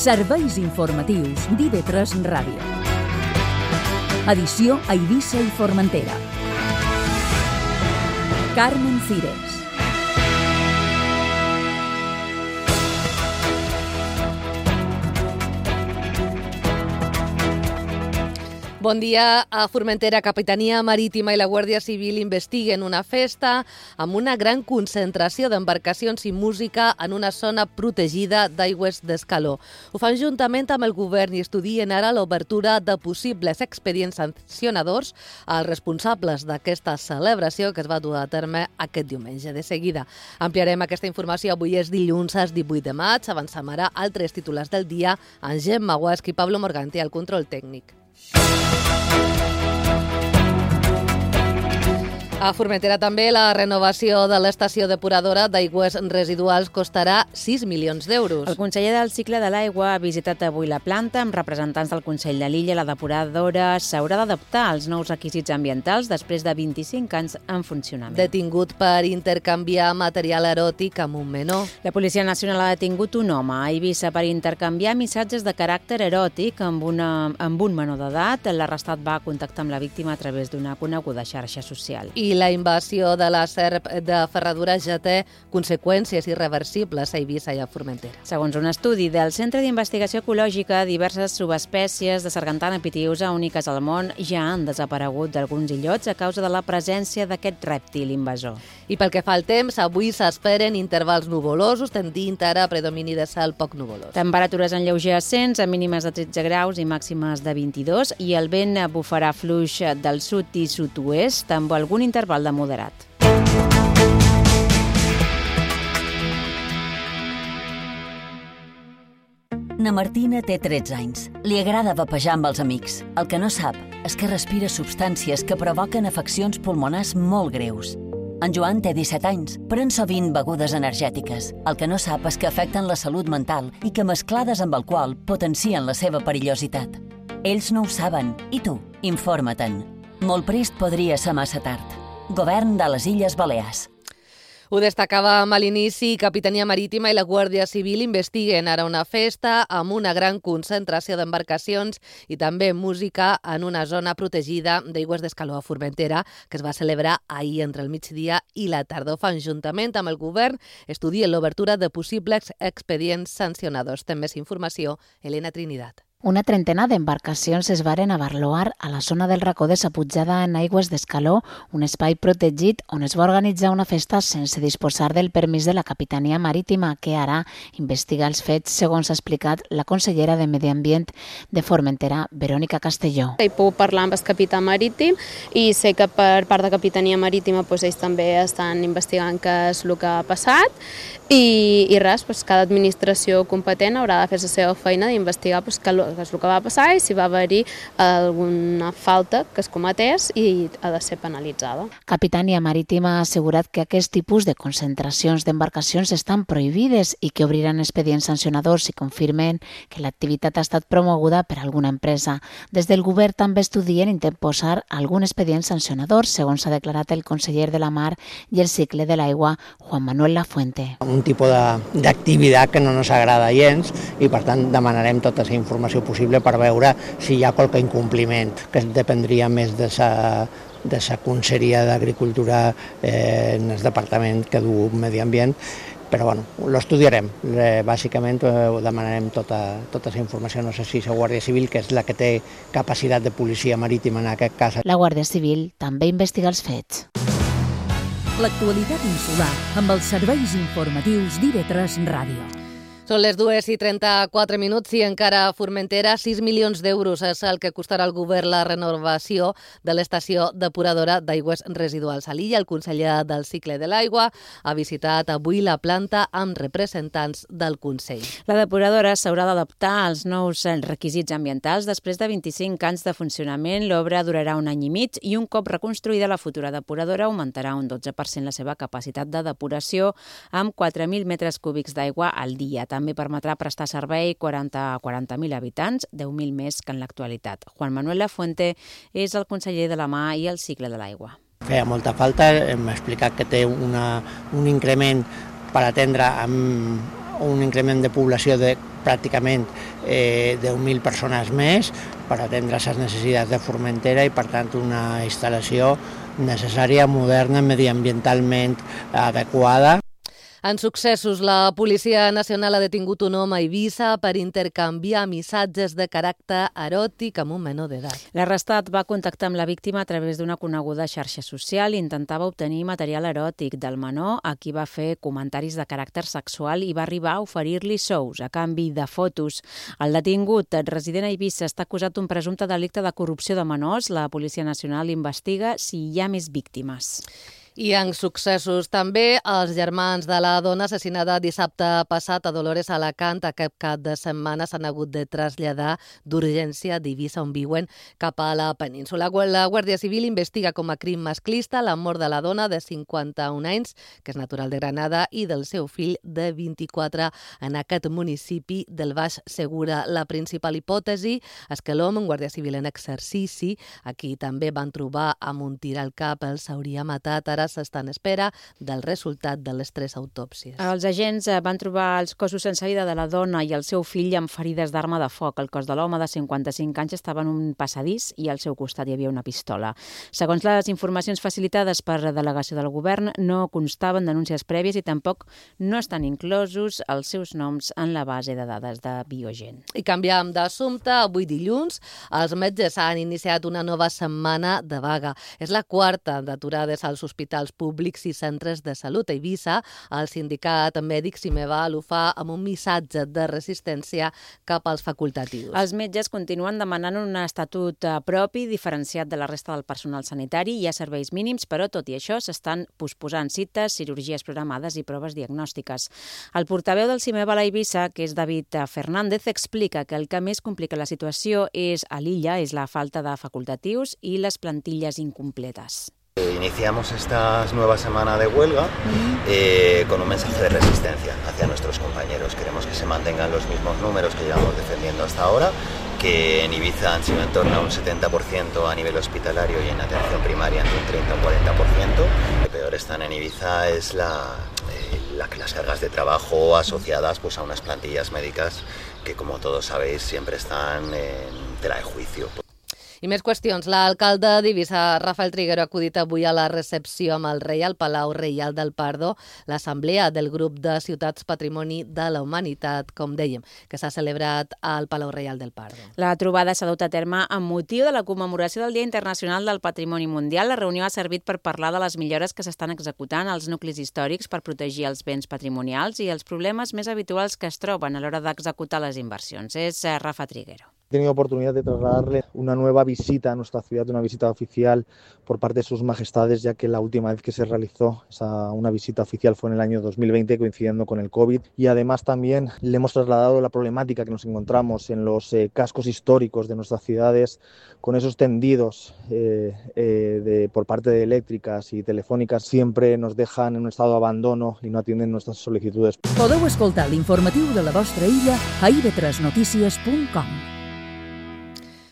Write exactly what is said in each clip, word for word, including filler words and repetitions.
Serveis informatius d'I V tres Ràdio. Edició a Eivissa i Formentera. Carmen Cires. Bon dia. A Formentera, Capitania Marítima i la Guàrdia Civil investiguen una festa amb una gran concentració d'embarcacions i música en una zona protegida d'aigües d'Escaló. Ho fan juntament amb el govern i estudien ara l'obertura de possibles expedients sancionadors als responsables d'aquesta celebració que es va dur a terme aquest diumenge. De seguida ampliarem aquesta informació. Avui és dilluns, divuit de maig. Avancem ara altres titulars del dia amb Gemma Guasc i Pablo Morganti al control tècnic. A Formentera també la renovació de l'estació depuradora d'aigües residuals costarà sis milions d'euros. El conseller del cicle de l'aigua ha visitat avui la planta amb representants del Consell de l'Illa. La depuradora s'haurà d'adaptar als nous requisits ambientals després de vint-i-cinc anys en funcionament. Detingut per intercanviar material eròtic amb un menor. La Policia Nacional ha detingut un home a Eivissa per intercanviar missatges de caràcter eròtic amb, una, amb un menor d'edat. L'arrestat va contactar amb la víctima a través d'una coneguda xarxa social. I la invasió de la serp de Ferradura ja té conseqüències irreversibles a Eivissa i a Formentera. Segons un estudi del Centre d'Investigació Ecològica, diverses subespècies de sargantana pitiusa úniques al món ja han desaparegut d'alguns illots a causa de la presència d'aquest rèptil invasor. I pel que fa al temps, avui s'esperen intervals nuvolosos, tendint ara a predomini de cel poc nuvolós. Temperatures en lleuger ascens, a mínimes de tretze graus i màximes de vint-i-dos, i el vent bufarà fluix del sud i sud-oest amb algun interval de moderat. Na Martina té tretze anys. Li agrada vapejar amb els amics. El que no sap és que respira substàncies que provoquen afeccions pulmonars molt greus. En Joan té disset anys, pren sovint begudes energètiques. El que no sap és que afecten la salut mental i que mesclades amb alcohol potencien la seva perillositat. Ells no ho saben. I tu? Informa-te'n. Molt prest podria ser massa tard. Govern de les Illes Balears. Ho destacàvem a l'inici. Capitania Marítima i la Guàrdia Civil investiguen ara una festa amb una gran concentració d'embarcacions i també música en una zona protegida d'aigües d'Escaló a Formentera que es va celebrar ahir entre el migdia i la tarda. Ho fan juntament amb el govern, estudien l'obertura de possibles expedients sancionadors. Té més informació Helena Trinidad. Una trentena d'embarcacions es varen abarloar a la zona del racó de Saputjada en aigües d'Escaló, un espai protegit on es va organitzar una festa sense disposar del permís de la Capitania Marítima, que ara investiga els fets, segons ha explicat la consellera de Medi Ambient de Formentera, Verònica Castelló. He pogut parlar amb el capità marítim i sé que per part de Capitania Marítima doncs, ells també estan investigant què és el que ha passat i, i res, doncs, cada administració competent haurà de fer la seva feina d'investigar doncs, que que és el que va passar i si va haver-hi alguna falta que es cometés i ha de ser penalitzada. Capitania Marítima ha assegurat que aquest tipus de concentracions d'embarcacions estan prohibides i que obriran expedients sancionadors si confirmen que l'activitat ha estat promoguda per alguna empresa. Des del govern també estudien interposar algun expedient sancionador, segons ha declarat el conseller de la Mar i el cicle de l'aigua, Juan Manuel Lafuente. Un tipus d'activitat que no ens agrada gens i per tant demanarem tota aquesta informació possible per veure si hi ha qualque incompliment, que dependria més de la de la Conselleria d'Agricultura eh, en el departament que du Medi Ambient, però bueno, l'estudiarem. Eh, bàsicament eh, demanarem tota, tota la informació, no sé si la Guàrdia Civil, que és la que té capacitat de policia marítima en aquest cas. La Guàrdia Civil també investiga els fets. L'actualitat insular amb els serveis informatius d'I V tres Ràdio. Són les dues i trenta-quatre minuts i encara a Formentera sis milions d'euros és el que costarà al govern la renovació de l'estació depuradora d'aigües residuals a l'illa. El conseller del cicle de l'aigua ha visitat avui la planta amb representants del Consell. La depuradora s'haurà d'adaptar als nous requisits ambientals. Després de vint-i-cinc anys de funcionament, l'obra durarà un any i mig i un cop reconstruïda la futura depuradora augmentarà un dotze per cent la seva capacitat de depuració amb quatre mil metres cúbics d'aigua al dia. També permetrà prestar servei quaranta a quaranta mil habitants, deu mil més que en l'actualitat. Juan Manuel Lafuente és el conseller de la Mar i el cicle de l'aigua. Feia molta falta, hem explicat que té una, un increment per atendre amb un increment de població de pràcticament eh, deu mil persones més per atendre les necessitats de Formentera i, per tant, una instal·lació necessària, moderna, mediambientalment adequada. En successos, la Policia Nacional ha detingut un home a Eivissa per intercanviar missatges de caràcter eròtic amb un menor d'edat. L'arrestat va contactar amb la víctima a través d'una coneguda xarxa social i intentava obtenir material eròtic del menor, a qui va fer comentaris de caràcter sexual i va arribar a oferir-li sous a canvi de fotos. El detingut, resident a Eivissa, està acusat d'un presumpte delicte de corrupció de menors. La Policia Nacional investiga si hi ha més víctimes. I en successos també, els germans de la dona assassinada dissabte passat a Dolores Alacant aquest cap de setmana s'han hagut de traslladar d'urgència d'Eivissa, on viuen, cap a la península. La Guàrdia Civil investiga com a crim masclista la mort de la dona de cinquanta-un anys, que és natural de Granada, i del seu fill de vint-i-quatre en aquest municipi del Baix Segura. La principal hipòtesi és que l'home, un guàrdia civil en exercici, a qui també van trobar amb un tir al cap, el s'hauria matat. Ara s'està en espera del resultat de les tres autòpsies. Els agents van trobar els cossos sense vida de la dona i el seu fill amb ferides d'arma de foc. El cos de l'home de cinquanta-cinc anys estava en un passadís i al seu costat hi havia una pistola. Segons les informacions facilitades per la delegació del govern, no constaven denúncies prèvies i tampoc no estan inclosos els seus noms en la base de dades de Biogen. I canviem d'assumpte. Avui dilluns, els metges han iniciat una nova setmana de vaga. És la quarta d'aturades als hospitals públics i centres de salut. A Eivissa, el sindicat mèdic Simeva ho fa amb un missatge de resistència cap als facultatius. Els metges continuen demanant un estatut propi, diferenciat de la resta del personal sanitari. Hi ha serveis mínims, però tot i això s'estan posposant cites, cirurgies programades i proves diagnòstiques. El portaveu del Simeva a Eivissa, que és David Fernández, explica que el que més complica la situació és a l'illa, és la falta de facultatius i les plantilles incompletes. Iniciamos esta nueva semana de huelga eh, con un mensaje de resistencia hacia nuestros compañeros. Queremos que se mantengan los mismos números que llevamos defendiendo hasta ahora, que en Ibiza han sido en torno a un setenta por ciento a nivel hospitalario y en atención primaria entre un treinta o cuarenta por ciento. Lo que peor están en Ibiza es la, eh, la, las cargas de trabajo asociadas pues, a unas plantillas médicas que, como todos sabéis, siempre están en tela de juicio. I més qüestions. L'alcalde d'Eivissa, Rafael Triguero, ha acudit avui a la recepció amb el rei al Palau Reial del Pardo, l'assemblea del grup de ciutats Patrimoni de la Humanitat, com dèiem, que s'ha celebrat al Palau Reial del Pardo. La trobada s'ha dut a terme amb motiu de la commemoració del Dia Internacional del Patrimoni Mundial. La reunió ha servit per parlar de les millores que s'estan executant als nuclis històrics per protegir els béns patrimonials i els problemes més habituals que es troben a l'hora d'executar les inversions. És Rafa Triguero. He tenido oportunidad de trasladarle una nueva visita a nuestra ciudad, una visita oficial por parte de sus majestades, ya que la última vez que se realizó esa, una visita oficial fue en el año dos mil veinte, coincidiendo con el COVID. Y además también le hemos trasladado la problemática que nos encontramos en los eh, cascos históricos de nuestras ciudades, con esos tendidos eh, eh, de, por parte de eléctricas y telefónicas, siempre nos dejan en un estado de abandono y no atienden nuestras solicitudes. Podeu escoltar l'informatiu de la vostra illa a i ve tres notícies punt com.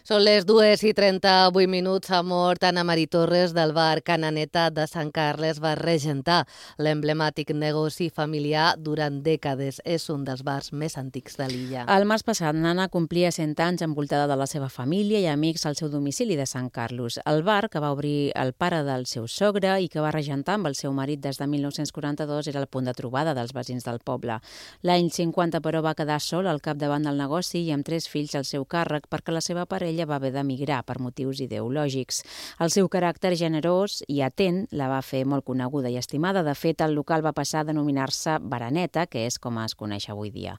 Són les dues i trenta-vuit minuts. Ha mort Anna Marí Torres del bar Cananeta de Sant Carles. Va regentar l'emblemàtic negoci familiar durant dècades. És un dels bars més antics de l'illa. El març passat, Anna complia cent anys envoltada de la seva família i amics al seu domicili de Sant Carlos. El bar, que va obrir el pare del seu sogre i que va regentar amb el seu marit des de mil nou-cents quaranta-dos, era el punt de trobada dels veïns del poble. L'any cinquanta, però, va quedar sol al capdavant del negoci i amb tres fills al seu càrrec perquè la seva parella va haver d'emigrar per motius ideològics. El seu caràcter generós i atent la va fer molt coneguda i estimada. De fet, el local va passar a denominar-se Baraneta, que és com es coneix avui dia.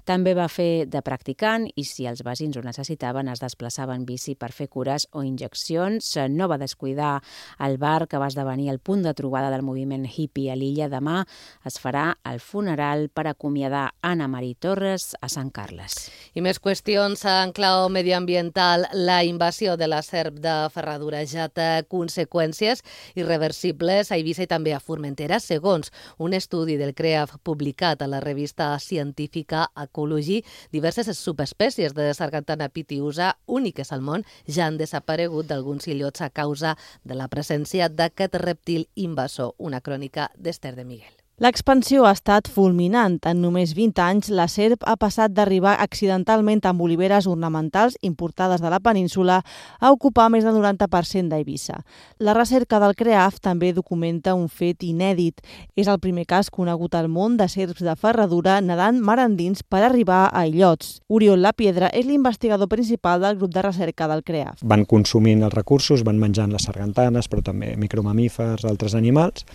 També va fer de practicant i, si els veïns ho necessitaven, es desplaçava en bici per fer cures o injeccions. No va descuidar el bar, que va esdevenir el punt de trobada del moviment hippie a l'illa. Demà es farà el funeral per acomiadar Anna Marí Torres a Sant Carles. I més qüestions en clau medioambiental. La invasió de la serp de Ferradura ja té conseqüències irreversibles a Eivissa i també a Formentera, segons un estudi del CREAF publicat a la revista científica Ecology. Diverses subespècies de sargantana pitiusa, úniques al món, ja han desaparegut d'alguns illots a causa de la presència d'aquest rèptil invasor. Una crònica d'Esther de Miguel. L'expansió ha estat fulminant. En només vint anys, la serp ha passat d'arribar accidentalment amb oliveres ornamentals importades de la península a ocupar més del noranta per cent d'Eivissa. La recerca del CREAF també documenta un fet inèdit. És el primer cas conegut al món de serps de ferradura nedant mar endins per arribar a illots. Oriol Lapiedra és l'investigador principal del grup de recerca del CREAF. Van consumint els recursos, van menjant les sargantanes, però també micromamífers, altres animals,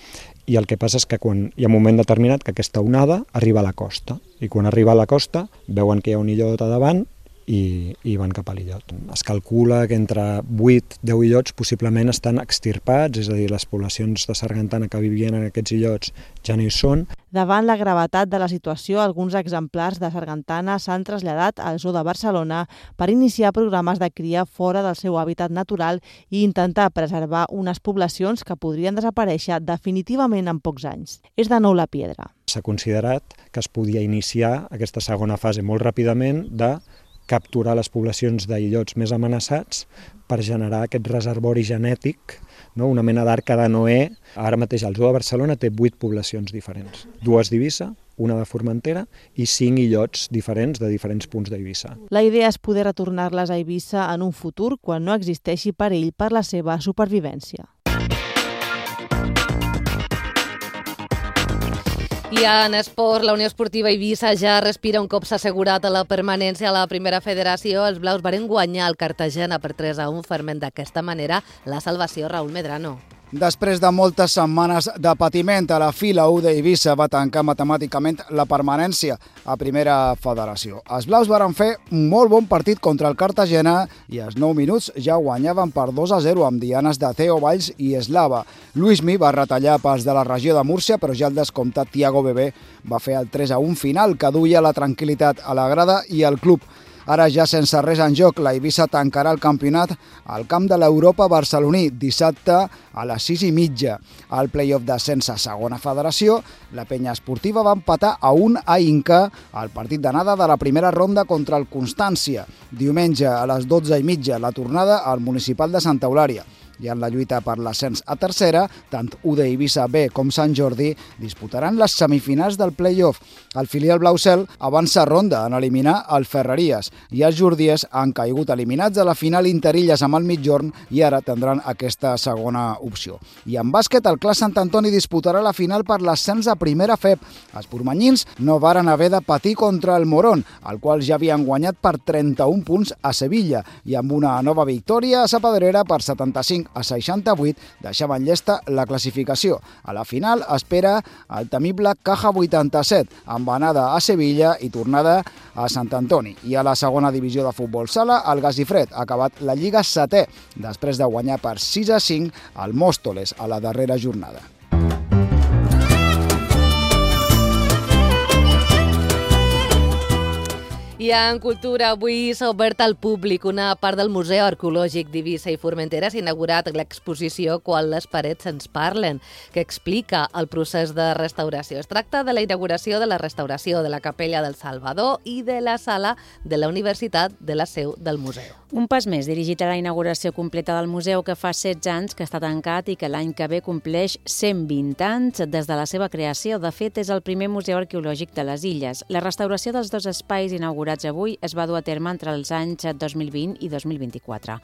i el que passa és que quan hi ha un moment determinat que aquesta onada arriba a la costa, i quan arriba a la costa veuen que hi ha un illot a davant i, i van cap a l'illot. Es calcula que entre vuit a deu illots possiblement estan extirpats, és a dir, les poblacions de sargantana que vivien en aquests illots ja no hi són. Davant la gravetat de la situació, alguns exemplars de sargantana s'han traslladat al Zoo de Barcelona per iniciar programes de cria fora del seu hàbitat natural i intentar preservar unes poblacions que podrien desaparèixer definitivament en pocs anys. És de nou Lapiedra. S'ha considerat que es podia iniciar aquesta segona fase molt ràpidament de capturar les poblacions d'illots més amenaçats per generar aquest reservori genètic, no? Una mena d'arca de Noé. Ara mateix el Zoo de Barcelona té vuit poblacions diferents, dues d'Eivissa, una de Formentera i cinc illots diferents de diferents punts d'Eivissa. La idea és poder retornar-les a Eivissa en un futur quan no existeixi perill per la seva supervivència. I en esport, la Unió Esportiva Eivissa ja respira un cop s'ha assegurat a la permanència a la primera federació. Els blaus varen guanyar el Cartagena per tres a un, ferment d'aquesta manera la salvació. Raúl Medrano. Després de moltes setmanes de patiment, a la fi la U d'Eivissa va tancar matemàticament la permanència a primera federació. Els blaus varen fer un molt bon partit contra el Cartagena i als nou minuts ja guanyaven per dos a zero amb dianes de Theo Valls i Eslava. Luismi va retallar pas de la regió de Múrcia, però ja el descomptat Thiago Bebé va fer el tres a un final que duia la tranquil·litat a la grada i al club. Ara ja sense res en joc, la Eivissa tancarà el campionat al camp de l'Europa barceloní dissabte a les sis i mitja. Al play-off d'ascens a segona federació, la penya esportiva va empatar a un a Inca al partit d'anada de la primera ronda contra el Constància. Diumenge a les dotze i mitja la tornada al municipal de Santa Eulària. I en la lluita per l'ascens a tercera, tant U D Eivissa B com Sant Jordi disputaran les semifinals del play-off. El filial Blaucel avança ronda en eliminar el Ferreries i els jordiers han caigut eliminats a la final Interilles amb el Migjorn i ara tindran aquesta segona opció. I en bàsquet, el Clas Sant Antoni disputarà la final per l'ascens a primera F E P. Els pormanyins no varen haver de patir contra el Morón, el qual ja havien guanyat per trenta-un punts a Sevilla, i amb una nova victòria a Sa Pedrera per setanta-cinc a seixanta-vuit deixaven llesta la classificació. A la final espera el temible Caja vuitanta-set, amb anada a Sevilla i tornada a Sant Antoni. I a la segona divisió de futbol sala, el Gasifred ha acabat la Lliga setè, després de guanyar per sis a cinc al Móstoles a la darrera jornada. I en cultura, avui s'ha obert al públic una part del Museu Arqueològic d'Eivissa i Formentera. S'ha inaugurat l'exposició Quan les parets ens parlen, que explica el procés de restauració. Es tracta de la inauguració de la restauració de la Capella del Salvador i de la sala de la Universitat de la seu del museu. Un pas més dirigit a la inauguració completa del museu, que fa setze anys que està tancat i que l'any que ve compleix cent vint anys des de la seva creació. De fet, és el primer museu arqueològic de les Illes. La restauració dels dos espais inaugurats avui es va dur a terme entre els anys dos mil vint i dos mil vint-i-quatre.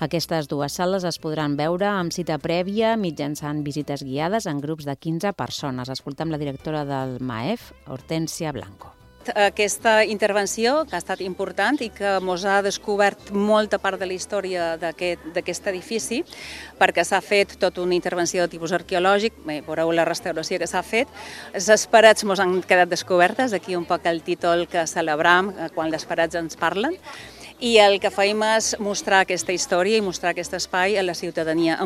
Aquestes dues sales es podran veure amb cita prèvia mitjançant visites guiades en grups de quinze persones. Escoltem la directora del M A E F, Hortènsia Blanco. Aquesta intervenció, que ha estat important i que ens ha descobert molta part de la història d'aquest edifici, perquè s'ha fet tota una intervenció de tipus arqueològic, bé, veureu la restauració que s'ha fet. Les parets ens han quedat descobertes, aquí un poc el títol que celebram quan les parets ens parlen, i el que feim és mostrar aquesta història i mostrar aquest espai a la ciutadania.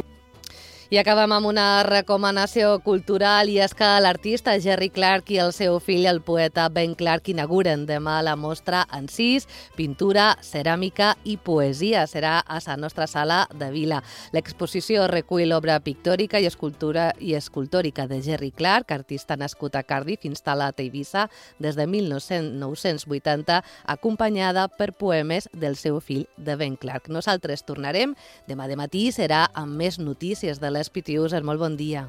I acabem amb una recomanació cultural, i és que l'artista Jerry Clark i el seu fill, el poeta Ben Clark, inauguren demà la mostra Encís, pintura, ceràmica i poesia. Serà a la nostra sala de Vila. L'exposició recull l'obra pictòrica i escultura i escultòrica de Jerry Clark, artista nascut a Cardiff, instal·lat a Eivissa des de mil nou-cents vuitanta, acompanyada per poemes del seu fill de Ben Clark. Nosaltres tornarem demà de matí, serà amb més notícies de les P T Us. Molt bon dia.